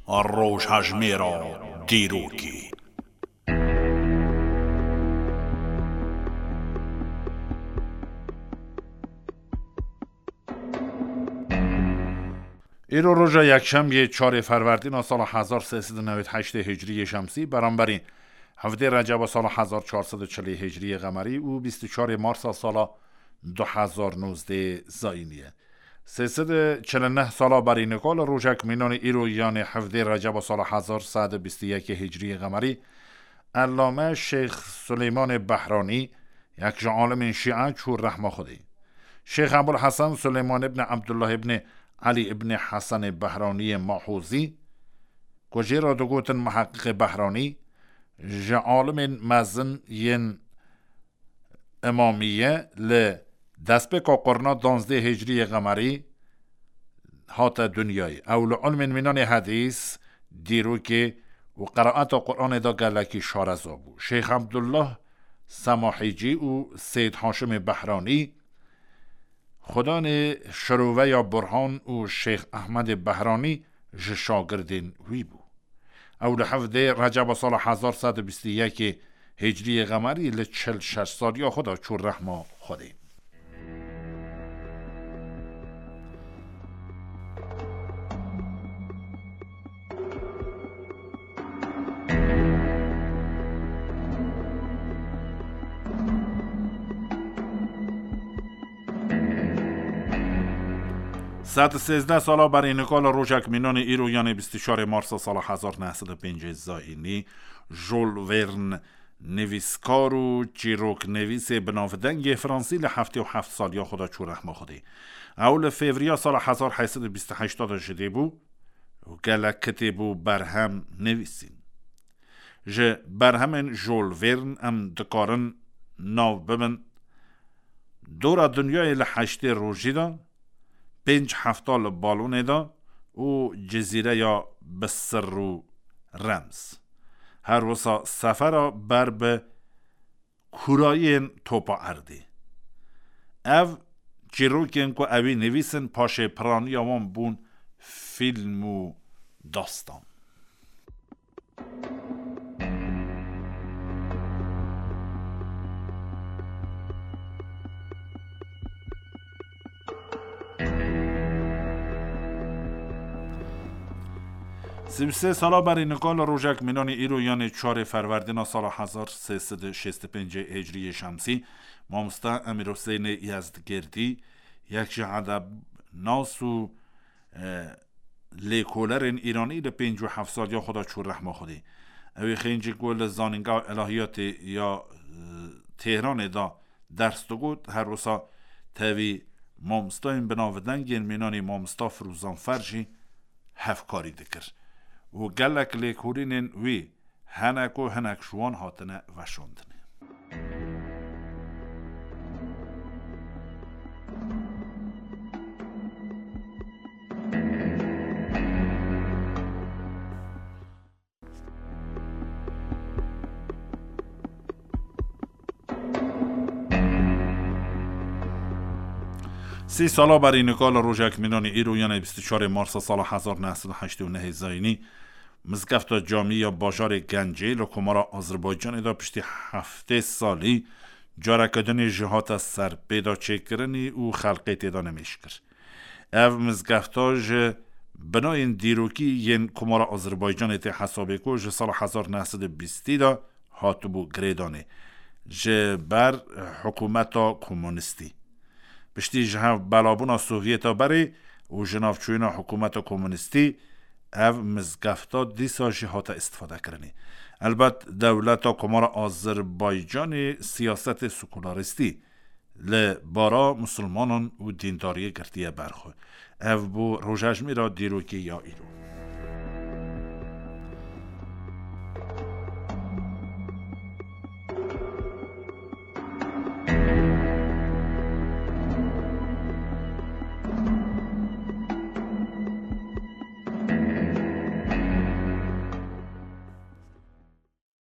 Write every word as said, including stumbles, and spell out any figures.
Rojhejmêra dîrokê. Îro roja yekşemiyê çarê Ferwerdîna sala hezar sê sed û newêd heştê Hicriyê Şemsî, beramberî hevdê Receba sala hezar çar sed û çilê Hicriyê Qemerî û bîst û çarê Marsa sala du hezar nozdê Zayînî ye. Sê sed û çil û neh sala berî nika li rojek mînanê îro, yanê hevdê Receba sala hezar sed û bîst û yekê Hicriyê Qemerî, Ellame Şêx Suleymanê Behranî, yek ji alimên Şîe, çû rehma Xwedê. Şêx Ebul Hesen Suleyman ibn Ebdullah ibn Elî ibn Hesenê Behraniyê Mahozî, ku jê re digotin Muheqiqê Behranî, ji alimên mezin yên Îmamîye li destpêka qurna danzdê Hicriyê Qemerî hate dinyayê. Ew li ilmên mînanê hedîs, dîrokê û qeraeta Quranê de gelekî şareza bû. Şêx Ebdullah Semahîcî û Seyd Haşimê Behranî, xudanê Şiroveya Burhan û Şêx Ehmedê Behranî ji şagirdên wî bû. Ew li hevdê Receba sala hezar sed û bîst û yekê Hicriyê Qemerî li çil şeş saliya xwe de çû rehma Xwedê. Sed û sêzdeh sala berî nika li rojek mînanê îro, yanê bîst û çarê Marsa sala hezar neh sed û pêncê Zayînî, Jules Verne, nivîskar û çîroknivîsê binavdengê Fransî, li heftê û heft saliya xwe de çû rehma Xwedê. Ew li Fevriya sala hezar heyt sed û bîst û heşt de ji dê bû û gelek kitêb û berhem nivîsîn. Ji berhemên Jules Verne em dikarin nav bibin: Dora Dinyayê li heştê rojî de, Pênc hefta li balonê de û Cizîreya bi sir û rems. Her wisa sefera ber bi kûrayiyên topa erdê. Ev çîrokên ku ewî nivîsin, paşê piraniya wan bûn fîlm û dastan. Sî û sê sala berî nika li rojek mînanî îro, yanê çarê Ferwerdîna sala hezar sê sed û şêst û pêncê Hicriyê Şemsî, mamoste Emîr Huseyinê Yezdgirdî, yek ji edebnas û e, lêkolerên Îranî li pêncî û heft saliya xwe de çû rehma Xwedê. Ew ê xêncî ku li Zanîngeha Elahiyatê ya, e, Têhranê de ders digot, her wisa tevî mamostayên binavdeng yên mînanî mamosta Firûzan Fer jî hevkarî dikir û gelek lêkolînên wî hene ku hinek ji wan hatine veşandinê. Sî sala berî nika li rojek mînanî îro, yanê bîst û çarê Marsa sala hezar neh sed û heştê û nehê Zayînî, Mizgefta Camî ya bajarê Gencê li Komara Azerbaycanê de piştî heftê salî careke dinê jî hate serpêda çêkirinî û xelkê tê de nimêj kir. Ev mizgefta ji binayên dîrokî yên Komara Azerbaycanê tê hesabê ku ji sala hezar neh sed û bîstî de hatibû girêdanê ji ber hikûmeta komunistî. Piştî ji hev belabûna Sovyeta berê û ji navçûyîna hikûmeta komunistî, ev mizgefta dîsa jî hate îstifadekirinê. Elbet dewleta Komara Azerbaycanê siyasetê sekularîstî li bara misilmanan û dîndariyê girtiye ber xwe. Ev bû rojejmêra dîrokê ya îro.